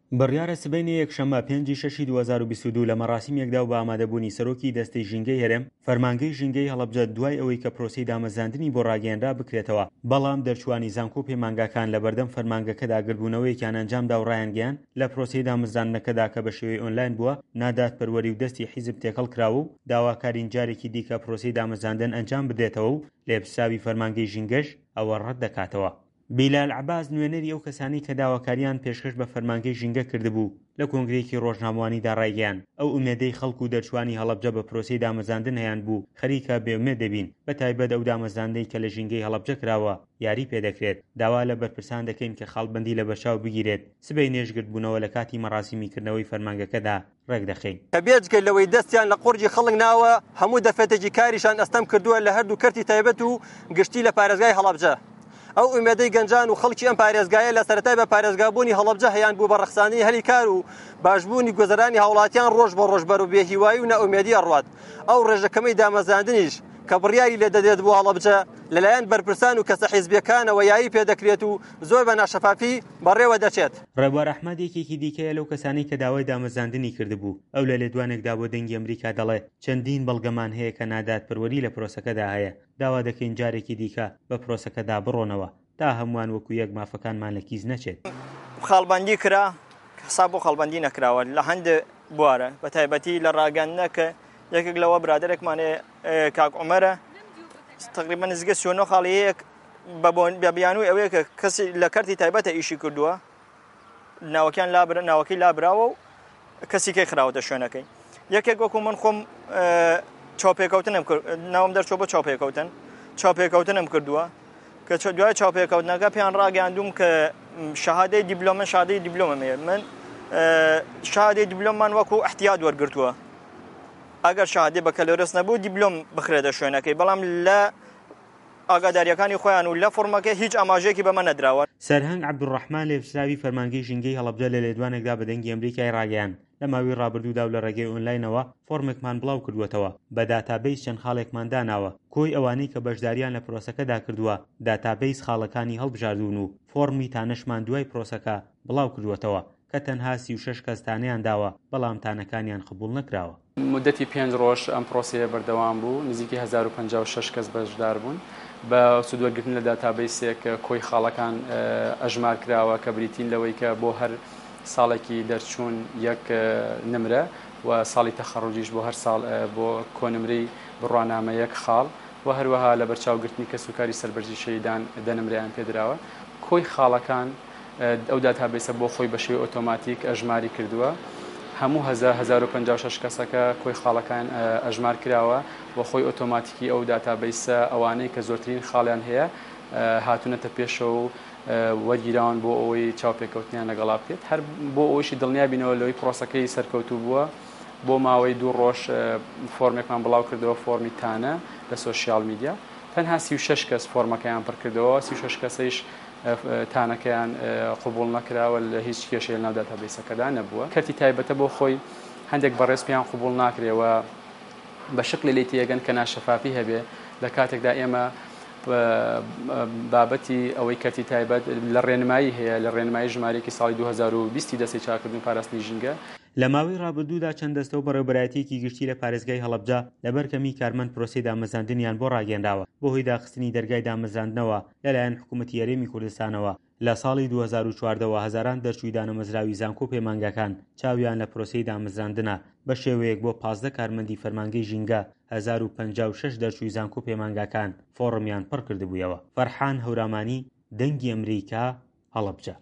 بڕیارە سبەینێ یەکشەممە پێنجی شەشی 2022 لە مەراسیمێکدا و بە ئامادەبوونی سەرۆکی دەستەی ژینگەی هەرێم، فەرمانگەی ژینگەی هەڵەبجە دوای ئەوەی کە پرۆسەی دامەزراندنی بۆ ڕاگەیەنرا بکرێتەوە، بەڵام دەرچووانی زانکۆ و پەیمانگاکان لەبەردەم فەرمانگەکەدا گردبوونەوەیەکیان ئەنجامدا و ڕایانگەیاند لە پرۆسەی دامەزراندنەکەدا کە بە شێوەی ئۆنلاین بووە نادادپەروەری و دەستی حیزب تێکەڵ کراوە و داواکارین جارێکی دیکە پرۆسەی دامەزراندن ئەنجام بدرێتەوە و لێپرسراوی فەرمانگەی ژینگەش ئەوە ڕەتدەکاتەوە. بیلال عەباس نوێنەری ئەو کەسانەی کە داواکارییان پێشکەش بە فەرمانگەی ژینگە کردبوو لە کۆنگرەیەکی ڕۆژنامەوانیدا ڕایگەیاند، ئەو ئومێدەی خەڵک و دەرچووانی هەڵەبجە بە پرۆسەی دامەزراندن هەیانبوو خەریکە بێئومێد دەبین، بەتایبەت ئەو دامەزراندنەی کە لە ژینگەی هەڵەبجە کراوە یاری پێدەکرێت، داوا لە بەرپرسان دەکەین کە خاڵبەندی لەبەرچاو بگیرێت، سبەینێش گردبوونەوە لە کاتی مەراسیمی کردنەوەی فەرمانگەکەدا ڕێکدەخەین. کە بێجگە لەوەی دەستیان لە قوڕگی خەڵک ناوە، هەموو دەرفەتێکی کاریشان ئەستەم کردووە لە هەردوو کەرتی تایبەت و گشتی لە پارێزگای هەڵەبجە. ئەو ئومێدەی گەنجان و خەڵکی ئەم پارێزگایە لە سەرەتای بە پارێزگابوونی هەڵەبجە هەیانبوو بە ڕەخساندنی هەلی کار و باشبوونی گوزەرانی هاوڵاتیان ڕۆژ بە ڕۆژ بەرەو بێهیوایی و نائومێدی ئەڕوات. ئەو ڕێژە کەمەی دامەزراندنیش کە بڕیاری لێ دەدرێت بۆ هەڵەبجە لەلایەن بەرپرسان و کەسە حیزبیەکانەوە یاری پێدەکرێت و زۆر بە ناشەفافی بەڕێوە دەچێت. ڕێبوار ئەحمەد یەکێکی دیکەیە لەو کەسانەی کە داوای دامەزراندنی کردبوو، ئەو لە لێدوانێکدا بۆ دەنگی ئەمریکا دەڵێ چەندین بەڵگەمان هەیە کە نادادپەروەری لە پرۆسەکەدا هەیە، داوا دەکەین جارێکی دیکە بە پرۆسەکەدا بڕۆنەوە تا هەمووان وەکو یەک مافەکانمان لە کیس نەچێت. خاڵبەندی کرا، حساب بۆ خاڵبەندی نەکراوە لە هەندێ بوارە بە تایبەتی لە ڕاگەندنە کە یەکێک لەوە برادەرێکمان هەیە کاک عومەرە تقریبا نزیکە 39 خاڵی هەیە بە بۆن بە بیانووی ئەوەیە کە کەسی لە کەرتی تایبەتە ئیشی کردووە ناوەکیان لابر ناوەکەی لابراوە و کەسی کەی خراوەتە شوێنەکەی یەکێک وەکو من خۆم چاوپێکەوتنم کرد ناوم دەرچوە بۆ چاوپێکەوتن چاوپێکەوتنم کردووە کە دوای چاوپێکەوتنەکە پێیان ڕاگەیاندوم کە شەهادەی دیبلۆم من شادەی دیبلۆمم هەیە من شادەی دیبلۆممان وەکو احتیاط وەرگرتووە ئەگەر شادی بەکەلۆرس نەبوو دیبلۆم بخرێتە شوێنەکەی بەڵام لە ئاگادارییەکانی خۆیان و لە فۆڕمەکە هیچ ئاماژەیەکی بەمە نەدراوە. سەرهەنگ عەبدولڕەحمان لێپرسراوی فەرمانگەی ژینگەی هەڵەبجە لە لێدوانێکدا بە دەنگی ئەمریکای ڕاگەیاند، لە ماوەی ڕابردوودا و لە ڕێگەی ئۆنلاینەوە فۆڕمێکمان بڵاوکردووەتەوە، بە داتابەیس چەند خاڵێکمان داناوە، کۆی ئەوانەی کە بەشدارییان لە پرۆسەکەدا کردووە داتابەیس خاڵەکانی هەڵبژاردوون و فۆڕمی تانەشمان دوای پرۆسەکە بڵاوکردووەتەوە کە تەنها 36 کەس تانەیان داوە، بەڵام تانەکانیان قبوڵ نەکراوە. مودەتی پێنج ڕۆژ ئەم پرۆسەیە بەردەوام بوو، نزیکەی 1056 کەس بەشدار بوون. بە سوودوەرگرتن لە داتابەیسێک کۆی خاڵەکان ئەژمار کراوە کە بریتین لەوەی کە بۆ هەر ساڵێکی دەرچوون یەک نمرە و ساڵی تەخەڕوجیش بۆ هەر ساڵ بۆ کۆنمرەی بڕوانامە یەک خاڵ و هەروەها لەبەرچاوگرتنی کەسوکاری سەربەرزی شەهیدان دە نمرەیان پێدراوە. کۆی خاڵەکان ئەو داتابەیسە بۆ خۆی بە شێوەی ئۆتۆماتیک ئەژماری کردووە. هەموو 1056 کەسەکە کۆی خاڵەکان ئەژمار کراوە و خۆی ئۆتۆماتیکی ئەو داتابەیسە ئەوانەی کە زۆرترین خاڵیان هەیە هاتوونەتە پێشەوە و وەرگیراون بۆ ئەوەی چاوپێکەوتنیان لەگەڵا بکرێت. هەر بۆ ئەوەیشی دڵنیا بینەوە لەوەی پرۆسەکەی سەرکەوتوو بووە بۆ ماوەی دوو ڕۆژ فۆرمێکمان بڵاو کردەوە فۆرمی تانە لە سۆشیال میدیا تەنها 36 کەس فۆرمەکەیان پڕکردەوە 36 کەسەیش تانەکەیان قبوڵ نەکراوە لە هیچ کێشەی لەناو داتابەیسەکەدا نەبووە. کەرتی تایبەتە بۆ خۆی هەندێک بەڕێز پێیان قبوڵ ناکرێ و بە شکلێ لێی تێگەن کە ناشەفافی هەبێ لە کاتێکدا ئێمە بابەتی ئەوەی کەرتی تایبەت لە ڕێنمایی هەیە لە ڕێنمایی ژمارەیەکی ساڵی 2020 دەستەی چاکردن و پاراستنی ژینگە. لە ماوەی ڕابردوودا چەند دەستە و بەڕێوەبەرایەتییەکی گشتی لە پارێزگای هەڵەبجە لەبەر کەمیی کارمەند پرۆسەی دامەزراندنیان بۆ ڕاگەیەنراوە بەهۆی داخستنی دەرگای دامەزراندنەوە لەلایەن حکوومەتی هەرێمی کوردستانەوە لە ساڵی 2014 وە هەزاران دەرچووی دانەمەزراوی زانکۆ و پەیمانگاکان چاویان لە پرۆسەی دامەزراندنە بە شێوەیەک بۆ 15 کارمەندی فەرمانگەی ژینگە 1056 دەرچووی زانکۆ و پەیمانگاکان فۆڕمیان پڕکردبوویەوە. فەرحان هەورامانی، دەنگی ئەمریکا، هەڵەبجە.